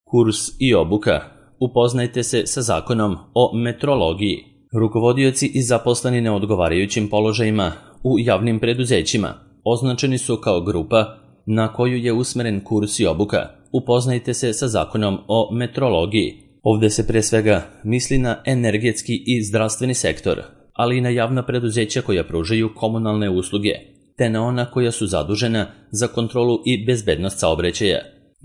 Kurs i obuka. Upoznajte se sa zakonom o metrologiji. Rukovodioci i zaposleni na odgovarajućim položajima u javnim preduzećima označeni su kao grupa na koju je usmeren kurs i obuka. Upoznajte se sa zakonom o metrologiji. Ovde se pre svega misli na energetski i zdravstveni sektor, ali i na javna preduzeća koja pružaju komunalne usluge, te na ona koja su zadužena za kontrolu i bezbednost saobraćaja.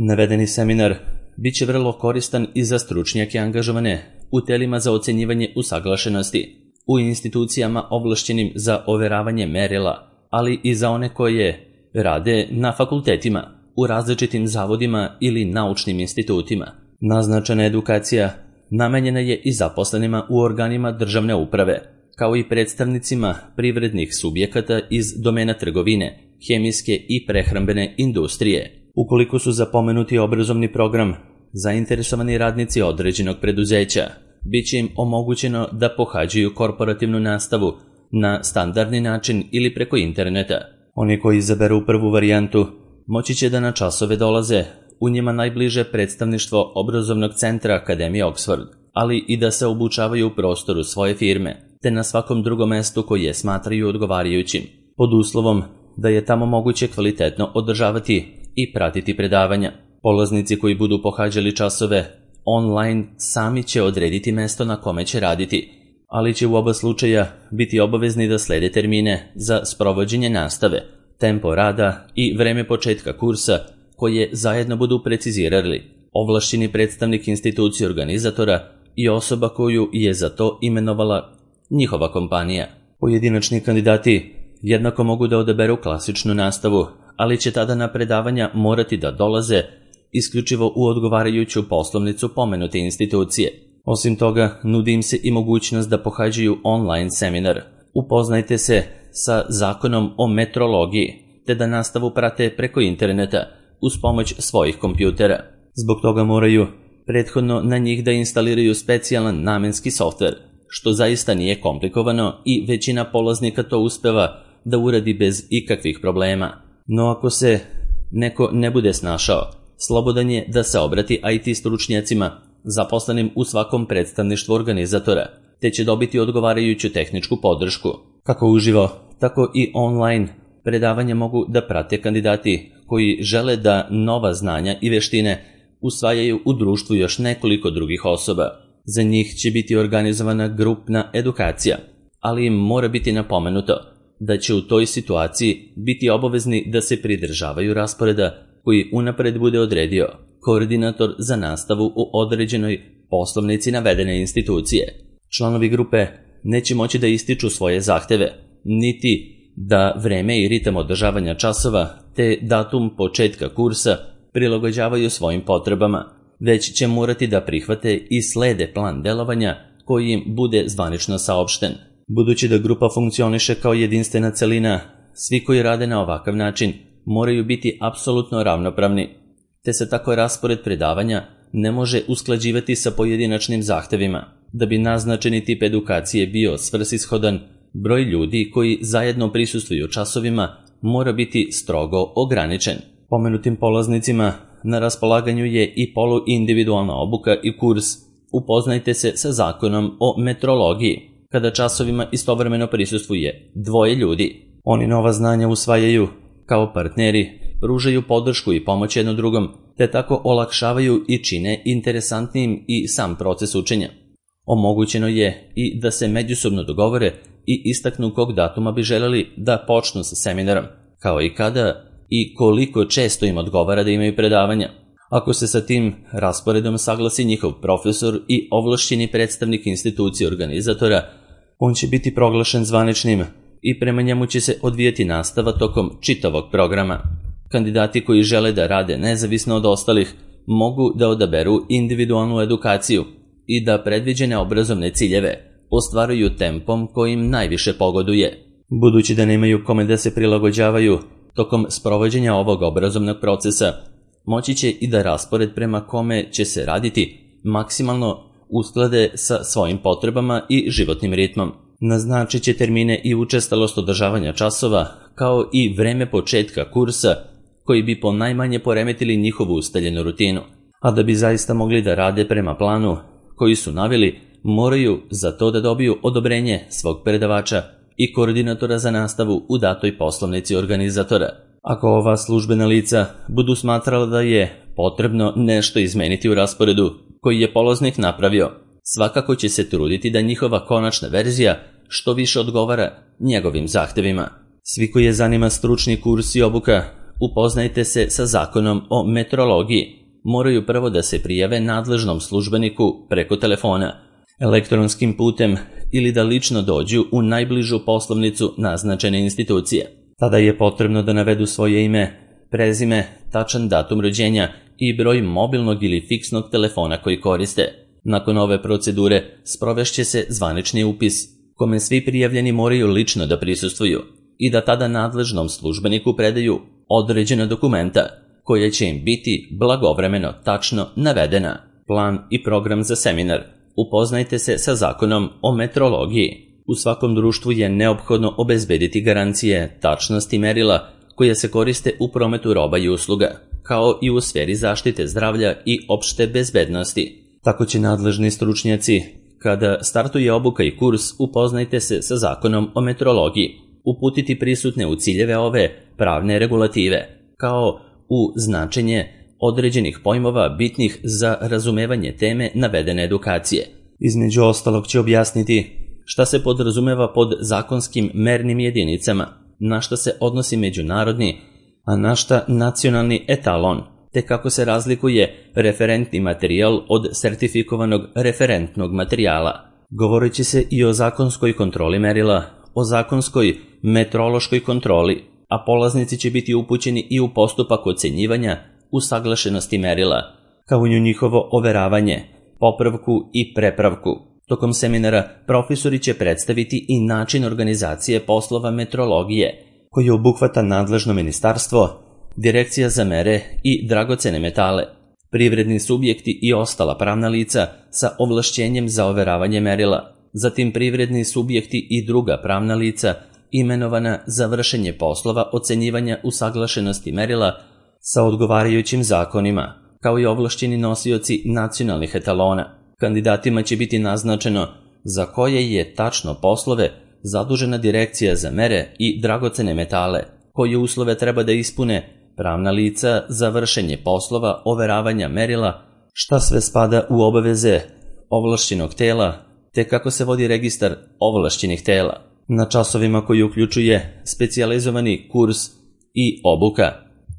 Navedeni seminar biće vrlo koristan i za stručnjake angažovane u telima za ocenjivanje usaglašenosti, u institucijama ovlašćenim za overavanje merila, ali i za one koje rade na fakultetima, u različitim zavodima ili naučnim institutima. Naznačena edukacija namenjena je i zaposlenima u organima državne uprave, kao i predstavnicima privrednih subjekata iz domena trgovine, hemijske i prehrambene industrije. Ukoliko su za pomenuti obrazovni program zainteresovani radnici određenog preduzeća, bit će im omogućeno da pohađaju korporativnu nastavu na standardni način ili preko interneta. Oni koji izaberu prvu varijantu moći će da na časove dolaze u njima najbliže predstavništvo obrazovnog centra Akademije Oxford, ali i da se obučavaju u prostoru svoje firme, te na svakom drugom mestu koje smatraju odgovarajućim, pod uslovom da je tamo moguće kvalitetno održavati i pratiti predavanja. Polaznici koji budu pohađali časove online sami će odrediti mesto na kome će raditi, ali će u oba slučaja biti obavezni da slede termine za sprovođenje nastave, tempo rada i vreme početka kursa koje zajedno budu precizirali ovlašćeni predstavnik institucije organizatora i osoba koju je za to imenovala njihova kompanija. Pojedinačni kandidati jednako mogu da odaberu klasičnu nastavu, ali će tada na predavanja morati da dolaze isključivo u odgovarajuću poslovnicu pomenute institucije. Osim toga, nudi im se i mogućnost da pohađaju online seminar. Upoznajte se sa zakonom o metrologiji, te da nastavu prate preko interneta uz pomoć svojih kompjutera. Zbog toga moraju prethodno na njih da instaliraju specijalan namenski softver, što zaista nije komplikovano i većina polaznika to uspeva da uradi bez ikakvih problema. No ako se neko ne bude snašao, slobodan je da se obrati IT stručnjacima zaposlenim u svakom predstavništvu organizatora, te će dobiti odgovarajuću tehničku podršku. Kako uživo, tako i online predavanja mogu da prate kandidati koji žele da nova znanja i veštine usvajaju u društvu još nekoliko drugih osoba. Za njih će biti organizovana grupna edukacija, ali im mora biti napomenuto da će u toj situaciji biti obavezni da se pridržavaju rasporeda koji unapred bude odredio koordinator za nastavu u određenoj poslovnici navedene institucije. Članovi grupe neće moći da ističu svoje zahteve, niti da vreme i ritam održavanja časova te datum početka kursa prilagođavaju svojim potrebama, već će morati da prihvate i slede plan delovanja koji im bude zvanično saopšten. Budući da grupa funkcioniše kao jedinstvena celina, svi koji rade na ovakav način moraju biti apsolutno ravnopravni, te se tako raspored predavanja ne može usklađivati sa pojedinačnim zahtevima. Da bi naznačeni tip edukacije bio svrsishodan, broj ljudi koji zajedno prisustvuju časovima mora biti strogo ograničen. Pomenutim polaznicima na raspolaganju je i poluindividualna obuka i kurs Upoznajte se sa zakonom o metrologiji, kada časovima istovremeno prisustvuje 2 ljudi. Oni nova znanja usvajaju kao partneri, pružaju podršku i pomoć jedno drugom, te tako olakšavaju i čine interesantnijim i sam proces učenja. Omogućeno je i da se međusobno dogovore i istaknu kog datuma bi želeli da počnu sa seminarom, kao i kada i koliko često im odgovara da imaju predavanja. Ako se sa tim rasporedom saglasi njihov profesor i ovlašćeni predstavnik institucije organizatora, on će biti proglašen zvaničnim i prema njemu će se odvijati nastava tokom čitavog programa. Kandidati koji žele da rade nezavisno od ostalih mogu da odaberu individualnu edukaciju i da predviđene obrazovne ciljeve ostvaruju tempom kojim najviše pogoduje. Budući da nemaju kome da se prilagođavaju tokom sprovođenja ovog obrazovnog procesa, moći će i da raspored prema kome će se raditi maksimalno usklade sa svojim potrebama i životnim ritmom. Naznačit će termine i učestalost održavanja časova, kao i vreme početka kursa, koji bi ponajmanje poremetili njihovu ustaljenu rutinu. a da bi zaista mogli da rade prema planu koji su naveli, moraju za to da dobiju odobrenje svog predavača i koordinatora za nastavu u datoj poslovnici organizatora. Ako ova službena lica budu smatrala da je potrebno nešto izmeniti u rasporedu koji je polaznik napravio, svakako će se truditi da njihova konačna verzija što više odgovara njegovim zahtevima. Svi koji je zanima stručni kurs i obuka, upoznajte se sa zakonom o metrologiji. Moraju prvo da se prijave nadležnom službeniku preko telefona, elektronskim putem ili da lično dođu u najbližu poslovnicu naznačene institucije. Tada je potrebno da navedu svoje ime, prezime, tačan datum rođenja i broj mobilnog ili fiksnog telefona koji koriste. Nakon ove procedure sprovešće se zvanični upis, kome svi prijavljeni moraju lično da prisustvuju i da tada nadležnom službeniku predaju određena dokumenta koja će im biti blagovremeno tačno navedena. Plan i program za seminar. Upoznajte se sa zakonom o metrologiji. U svakom društvu je neophodno obezbediti garancije tačnosti merila koje se koriste u prometu roba i usluga, kao i u sferi zaštite zdravlja i opšte bezbednosti. Tako će nadležni stručnjaci, kada startuje obuka i kurs, upoznajte se sa zakonom o metrologiji, uputiti prisutne u ciljeve ove pravne regulative, kao u značenje određenih pojmova bitnih za razumevanje teme navedene edukacije. Između ostalog će objasniti šta se podrazumeva pod zakonskim mernim jedinicama, na šta se odnosi međunarodni, a na šta nacionalni etalon, te kako se razlikuje referentni materijal od sertifikovanog referentnog materijala. Govorit će se i o zakonskoj kontroli merila, o zakonskoj metrološkoj kontroli, a polaznici će biti upućeni i u postupak ocenjivanja usaglašenosti merila, kao i u njihovo overavanje, popravku i prepravku. Tokom seminara profesori će predstaviti i način organizacije poslova metrologije, koji obuhvata nadležno ministarstvo, Direkcija za mere i dragocene metale, privredni subjekti i ostala pravna lica sa ovlašćenjem za overavanje merila, zatim privredni subjekti i druga pravna lica imenovana za vršenje poslova ocenjivanja usaglašenosti merila sa odgovarajućim zakonima, kao i ovlašćeni nosioci nacionalnih etalona. Kandidatima će biti naznačeno za koje je tačno poslove zadužena Direkcija za mere i dragocene metale, koje uslove treba da ispune pravna lica za vršenje poslova overavanja merila, šta sve spada u obaveze ovlašćenog tela, te kako se vodi registar ovlašćenih tela. Na časovima koji uključuje specijalizovani kurs i obuka,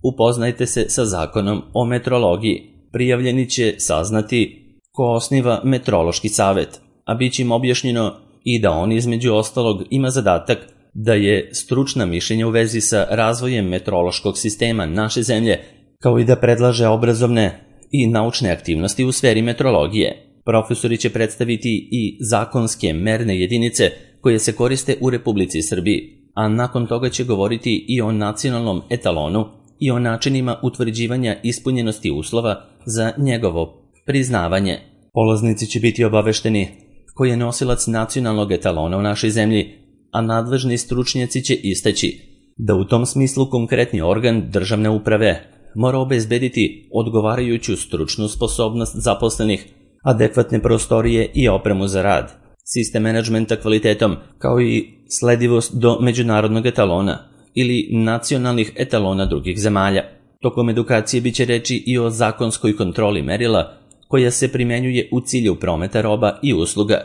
upoznajte se sa zakonom o metrologiji. Prijavljeni će saznati ko osniva metrološki savet, a bit će im objašnjeno i da on između ostalog ima zadatak da je stručna mišljenja u vezi sa razvojem metrološkog sistema naše zemlje, kao i da predlaže obrazovne i naučne aktivnosti u sferi metrologije. Profesori će predstaviti i zakonske merne jedinice koje se koriste u Republici Srbiji, a nakon toga će govoriti i o nacionalnom etalonu i o načinima utvrđivanja ispunjenosti uslova za njegovo priznavanje. Polaznici će biti obavešteni ko je nosilac nacionalnog etalona u našoj zemlji, a nadležni stručnjaci će istaći da u tom smislu konkretni organ državne uprave mora obezbediti odgovarajuću stručnu sposobnost zaposlenih, adekvatne prostorije i opremu za rad, sistem menadžmenta kvalitetom, kao i sledivost do međunarodnog etalona ili nacionalnih etalona drugih zemalja. Tokom edukacije biće reči i o zakonskoj kontroli merila koja se primenjuje u cilju prometa roba i usluga,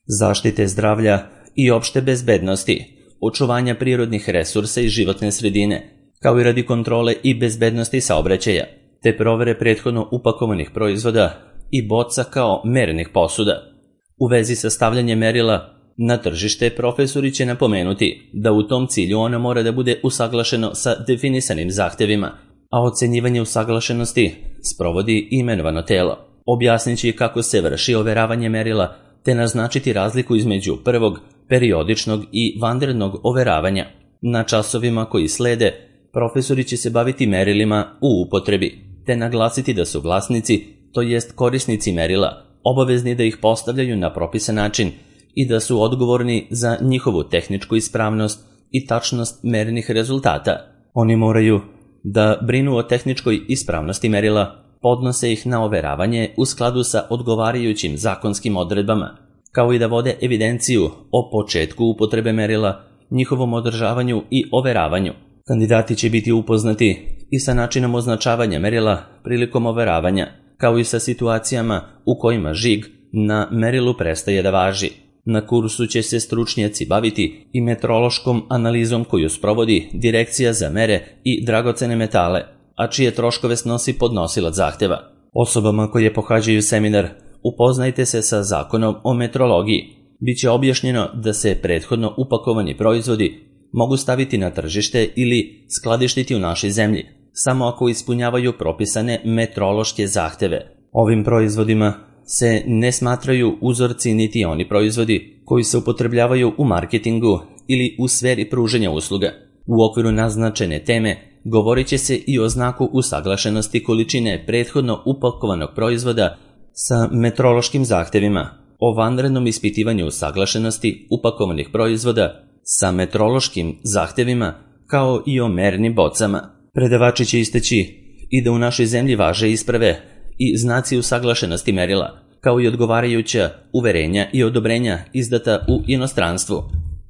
zaštite zdravlja i opšte bezbednosti, očuvanja prirodnih resursa i životne sredine, kao i radi kontrole i bezbednosti saobraćaja, te provere prethodno upakovanih proizvoda i boca kao mernih posuda. U vezi sa stavljanjem merila na tržište, profesori će napomenuti da u tom cilju ono mora da bude usaglašeno sa definisanim zahtevima, a ocenjivanje usaglašenosti sprovodi imenovano telo. Objasnit će kako se vrši overavanje merila, te naznačiti razliku između prvog, periodičnog i vanrednog overavanja. Na časovima koji slede, profesori će se baviti merilima u upotrebi, te naglasiti da su vlasnici, to jest korisnici merila, obavezni da ih postavljaju na propisan način i da su odgovorni za njihovu tehničku ispravnost i tačnost mernih rezultata. Oni moraju da brinu o tehničkoj ispravnosti merila, podnose ih na overavanje u skladu sa odgovarajućim zakonskim odredbama, kao i da vode evidenciju o početku upotrebe merila, njihovom održavanju i overavanju. Kandidati će biti upoznati i sa načinom označavanja merila prilikom overavanja, kao i sa situacijama u kojima žig na merilu prestaje da važi. Na kursu će se stručnjaci baviti i metrološkom analizom koju sprovodi Direkcija za mere i dragocene metale, a čije troškove snosi podnosilac zahteva. Osobama koje pohađaju seminar upoznajte se sa zakonom o metrologiji. Biće objašnjeno da se prethodno upakovani proizvodi mogu staviti na tržište ili skladištiti u našoj zemlji, samo ako ispunjavaju propisane metrološke zahteve. Ovim proizvodima se ne smatraju uzorci niti oni proizvodi koji se upotrebljavaju u marketingu ili u sferi pružanja usluga. U okviru naznačene teme govorit će se i o znaku usaglašenosti količine prethodno upakovanog proizvoda sa metrološkim zahtevima, o vanrednom ispitivanju usaglašenosti upakovanih proizvoda sa metrološkim zahtevima, kao i o mernim bocama. Predavači će istaći i da u našoj zemlji važe isprave i znaci usaglašenosti merila, kao i odgovarajuća uverenja i odobrenja izdata u inostranstvu,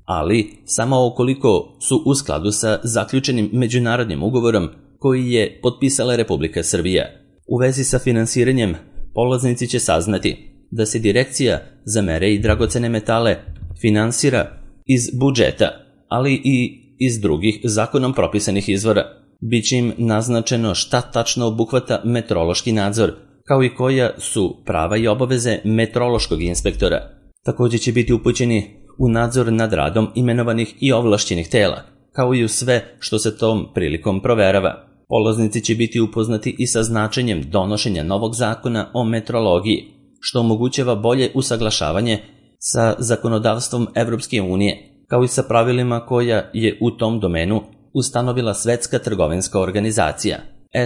ali samo ukoliko su u skladu sa zaključenim međunarodnim ugovorom koji je potpisala Republika Srbija. U vezi sa finansiranjem, polaznici će saznati da se Direkcija za mere i dragocene metale finansira iz budžeta, ali i iz drugih zakonom propisanih izvora. Biće im naznačeno šta tačno obuhvata metrološki nadzor, kao i koja su prava i obaveze metrološkog inspektora. Također će biti upućeni u nadzor nad radom imenovanih i ovlašćenih tela, kao i u sve što se tom prilikom proverava. Polaznici će biti upoznati i sa značenjem donošenja novog zakona o metrologiji, što omogućava bolje usaglašavanje sa zakonodavstvom Evropske unije, kao i sa pravilima koja je u tom domenu ustanovila Svetska trgovinska organizacija,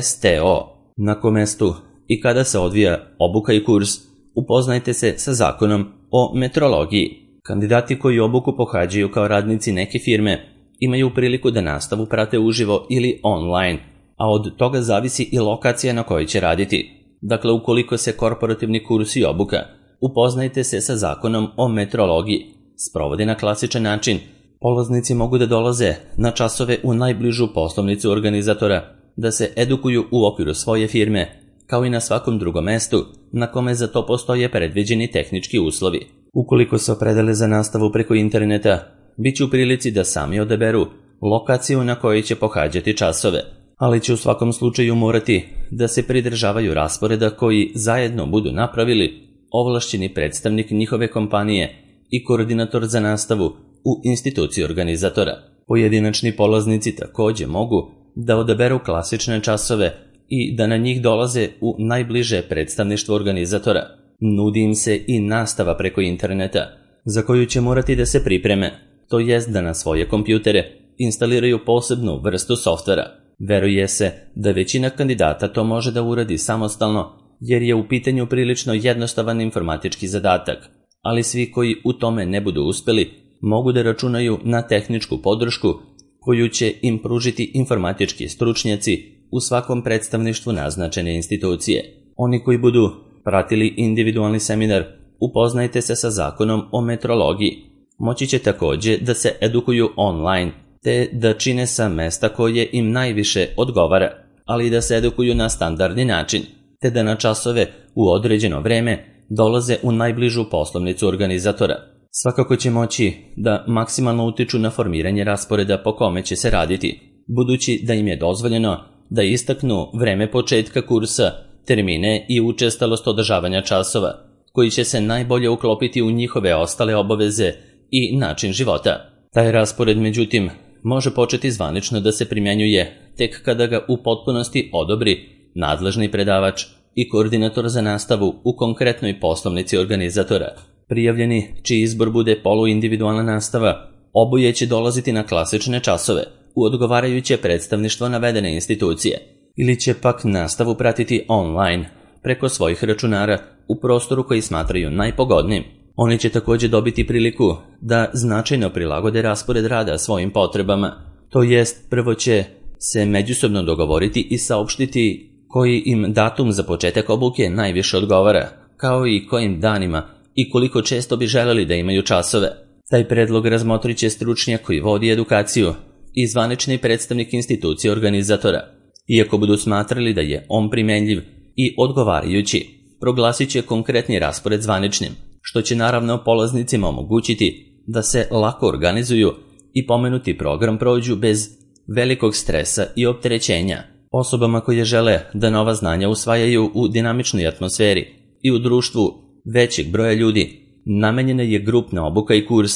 STO. Na kom mestu i kada se odvija obuka i kurs, upoznajte se sa zakonom o metrologiji. Kandidati koji obuku pohađaju kao radnici neke firme imaju priliku da nastavu prate uživo ili online, a od toga zavisi i lokacija na kojoj će raditi. Dakle, ukoliko se korporativni kurs i obuka, upoznajte se sa zakonom o metrologiji, sprovodi na klasičan način. Polaznici mogu da dolaze na časove u najbližu poslovnicu organizatora, da se edukuju u okviru svoje firme, kao i na svakom drugom mestu na kome za to postoje predviđeni tehnički uslovi. Ukoliko se opredele za nastavu preko interneta, bit će u prilici da sami odaberu lokaciju na kojoj će pohađati časove, ali će u svakom slučaju morati da se pridržavaju rasporeda koji zajedno budu napravili ovlašćeni predstavnik njihove kompanije i koordinator za nastavu u instituciji organizatora. Pojedinačni polaznici također mogu da odaberu klasične časove i da na njih dolaze u najbliže predstavništvo organizatora. Nudi im se i nastava preko interneta, za koju će morati da se pripreme, to jest da na svoje kompjutere instaliraju posebnu vrstu softvera. Veruje se da većina kandidata to može da uradi samostalno, jer je u pitanju prilično jednostavan informatički zadatak, ali svi koji u tome ne budu uspeli mogu da računaju na tehničku podršku koju će im pružiti informatički stručnjaci u svakom predstavništvu naznačene institucije. Oni koji budu pratili individualni seminar, upoznajte se sa zakonom o metrologiji. Moći će također da se edukuju online, te da čine sa mesta koje im najviše odgovara, ali i da se edukuju na standardni način, te da na časove u određeno vreme dolaze u najbližu poslovnicu organizatora. Svakako će moći da maksimalno utiču na formiranje rasporeda po kome će se raditi, budući da im je dozvoljeno da istaknu vreme početka kursa, termine i učestalost održavanja časova, koji će se najbolje uklopiti u njihove ostale obaveze i način života. Taj raspored, međutim, može početi zvanično da se primjenjuje tek kada ga u potpunosti odobri nadležni predavač i koordinator za nastavu u konkretnoj poslovnici organizatora. Prijavljeni, čiji izbor bude poluindividualna nastava, oboje će dolaziti na klasične časove u odgovarajuće predstavništvo navedene institucije, ili će pak nastavu pratiti online preko svojih računara u prostoru koji smatraju najpogodnijim. Oni će također dobiti priliku da značajno prilagode raspored rada svojim potrebama, to jest prvo će se međusobno dogovoriti i saopštiti koji im datum za početak obuke najviše odgovara, kao i kojim danima i koliko često bi želeli da imaju časove. Taj predlog razmotrit će stručnjak koji vodi edukaciju i zvanični predstavnik institucije organizatora. Iako budu smatrali da je on primenljiv i odgovarajući, proglasit će konkretni raspored zvaničnim, što će naravno polaznicima omogućiti da se lako organizuju i pomenuti program prođu bez velikog stresa i opterećenja. Osobama koje žele da nova znanja usvajaju u dinamičnoj atmosferi i u društvu većeg broja ljudi, namenjena je grupna obuka i kurs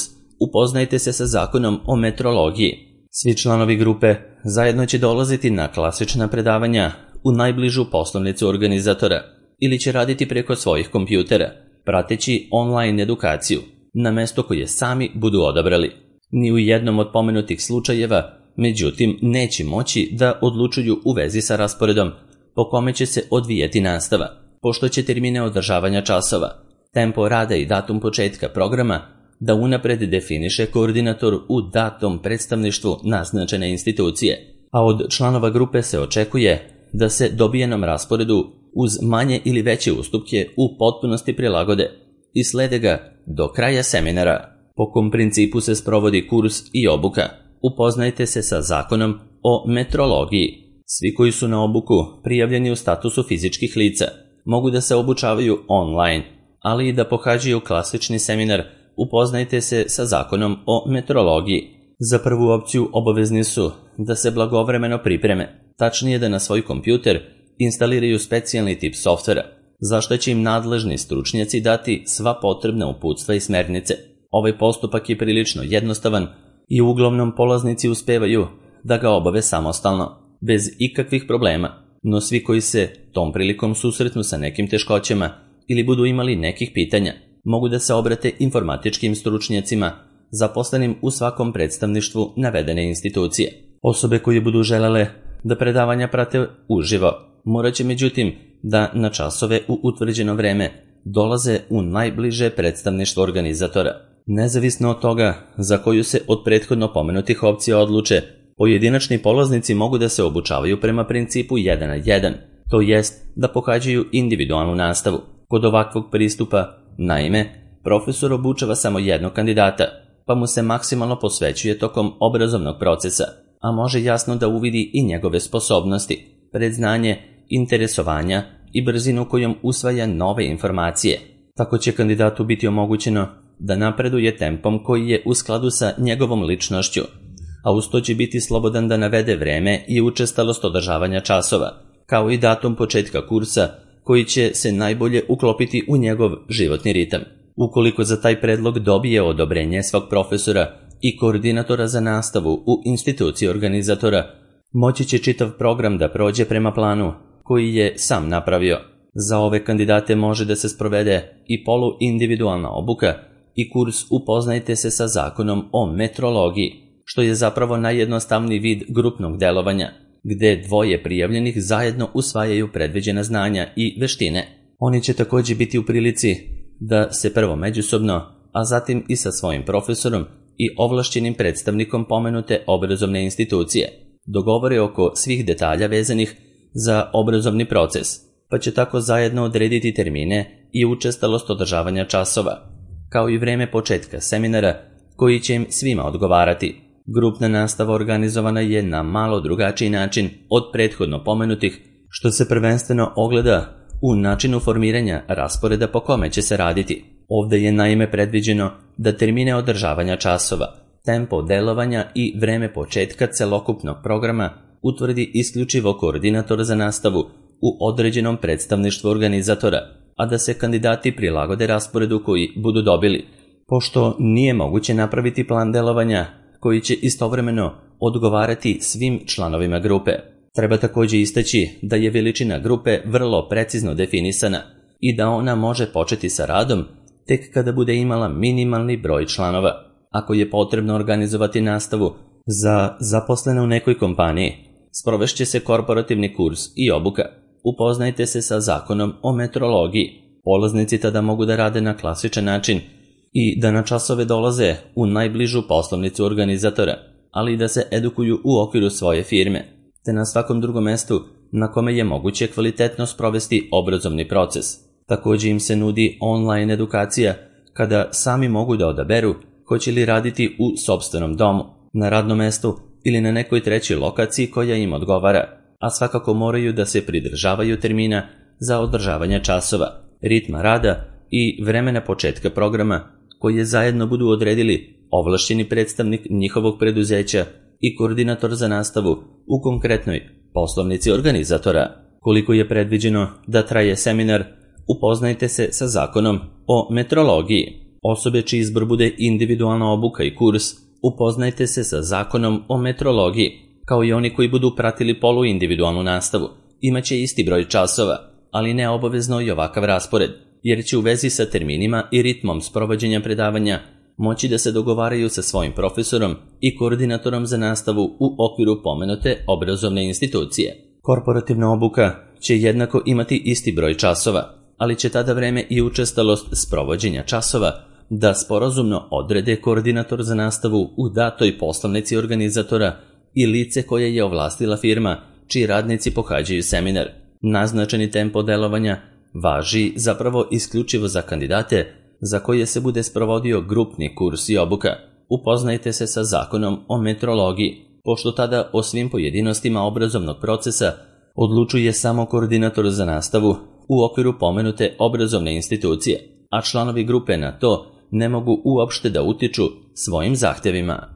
Upoznajte se sa zakonom o metrologiji. Svi članovi grupe zajedno će dolaziti na klasična predavanja u najbližu poslovnicu organizatora ili će raditi preko svojih kompjutera, prateći online edukaciju na mesto koje sami budu odabrali. Ni u jednom od pomenutih slučajeva, međutim, neće moći da odlučuju u vezi sa rasporedom po kome će se odvijeti nastava, pošto će termine održavanja časova, tempo rada i datum početka programa da unapred definiše koordinator u datom predstavništvu naznačene institucije, a od članova grupe se očekuje da se dobijenom rasporedu uz manje ili veće ustupke u potpunosti prilagode i slede ga do kraja seminara. Po kom principu se sprovodi kurs i obuka? Upoznajte se sa zakonom o metrologiji. Svi koji su na obuku prijavljeni u statusu fizičkih lica mogu da se obučavaju online, ali i da pohađaju klasični seminar Upoznajte se sa zakonom o metrologiji. Za prvu opciju obavezni su da se blagovremeno pripreme, tačnije da na svoj kompjuter instaliraju specijalni tip softvera, za što će im nadležni stručnjaci dati sva potrebna uputstva i smernice. Ovaj postupak je prilično jednostavan i uglavnom polaznici uspevaju da ga obave samostalno, bez ikakvih problema, no svi koji se tom prilikom susretnu sa nekim teškoćama ili budu imali nekih pitanja, mogu da se obrate informatičkim stručnjacima zaposlenim u svakom predstavništvu navedene institucije. Osobe koje budu želele da predavanja prate uživo, morat će međutim da na časove u utvrđeno vreme dolaze u najbliže predstavništvo organizatora. Nezavisno od toga za koju se od prethodno pomenutih opcija odluče, pojedinačni polaznici mogu da se obučavaju prema principu 1 na 1, to jest da pohađaju individualnu nastavu. Kod ovakvog pristupa, naime, profesor obučava samo jednog kandidata, pa mu se maksimalno posvećuje tokom obrazovnog procesa, a može jasno da uvidi i njegove sposobnosti, predznanje, interesovanja i brzinu kojom usvaja nove informacije. Tako će kandidatu biti omogućeno da napreduje tempom koji je u skladu sa njegovom ličnošću, a uz to će biti slobodan da navede vreme i učestalost održavanja časova, kao i datum početka kursa koji će se najbolje uklopiti u njegov životni ritam. Ukoliko za taj predlog dobije odobrenje svog profesora i koordinatora za nastavu u instituciji organizatora, moći će čitav program da prođe prema planu koji je sam napravio. Za ove kandidate može da se sprovede i poluindividualna obuka i kurs Upoznajte se sa zakonom o metrologiji, što je zapravo najjednostavniji vid grupnog delovanja, gde dvoje prijavljenih zajedno usvajaju predviđena znanja i veštine. Oni će također biti u prilici da se prvo međusobno, a zatim i sa svojim profesorom i ovlašćenim predstavnikom pomenute obrazovne institucije dogovore oko svih detalja vezanih za obrazovni proces, pa će tako zajedno odrediti termine i učestalost održavanja časova, kao i vreme početka seminara koji će im svima odgovarati. Grupna nastava organizovana je na malo drugačiji način od prethodno pomenutih, što se prvenstveno ogleda u načinu formiranja rasporeda po kome će se raditi. Ovdje je naime predviđeno da termine održavanja časova, tempo delovanja i vreme početka celokupnog programa utvrdi isključivo koordinator za nastavu u određenom predstavništvu organizatora, a da se kandidati prilagode rasporedu koji budu dobili, pošto nije moguće napraviti plan delovanja koji će istovremeno odgovarati svim članovima grupe. Treba također istaći da je veličina grupe vrlo precizno definisana i da ona može početi sa radom tek kada bude imala minimalni broj članova. Ako je potrebno organizovati nastavu za zaposlene u nekoj kompaniji, sprovešće se korporativni kurs i obuka. Upoznajte se sa zakonom o metrologiji. Polaznici tada mogu da rade na klasičan način i da na časove dolaze u najbližu poslovnicu organizatora, ali i da se edukuju u okviru svoje firme, te na svakom drugom mestu na kome je moguće kvalitetno sprovesti obrazovni proces. Također im se nudi online edukacija kada sami mogu da odaberu hoće li raditi u sopstvenom domu, na radnom mestu ili na nekoj trećoj lokaciji koja im odgovara, a svakako moraju da se pridržavaju termina za održavanje časova, ritma rada i vremena početka programa koje zajedno budu odredili ovlašćeni predstavnik njihovog preduzeća i koordinator za nastavu u konkretnoj poslovnici organizatora. Koliko je predviđeno da traje seminar, upoznajte se sa zakonom o metrologiji. Osobe čiji izbor bude individualna obuka i kurs, upoznajte se sa zakonom o metrologiji, kao i oni koji budu pratili poluindividualnu nastavu. Imaće isti broj časova, ali ne obavezno i ovakav raspored, jer će u vezi sa terminima i ritmom sprovođenja predavanja moći da se dogovaraju sa svojim profesorom i koordinatorom za nastavu u okviru pomenute obrazovne institucije. Korporativna obuka će jednako imati isti broj časova, ali će tada vreme i učestalost sprovođenja časova da sporazumno odrede koordinator za nastavu u datoj poslovnici organizatora i lice koje je ovlastila firma čiji radnici pohađaju seminar. Naznačeni tempo delovanja važi zapravo isključivo za kandidate za koje se bude sprovodio grupni kurs i obuka. Upoznajte se sa zakonom o metrologiji, pošto tada o svim pojedinostima obrazovnog procesa odlučuje samo koordinator za nastavu u okviru pomenute obrazovne institucije, a članovi grupe na to ne mogu uopšte da utiču svojim zahtjevima.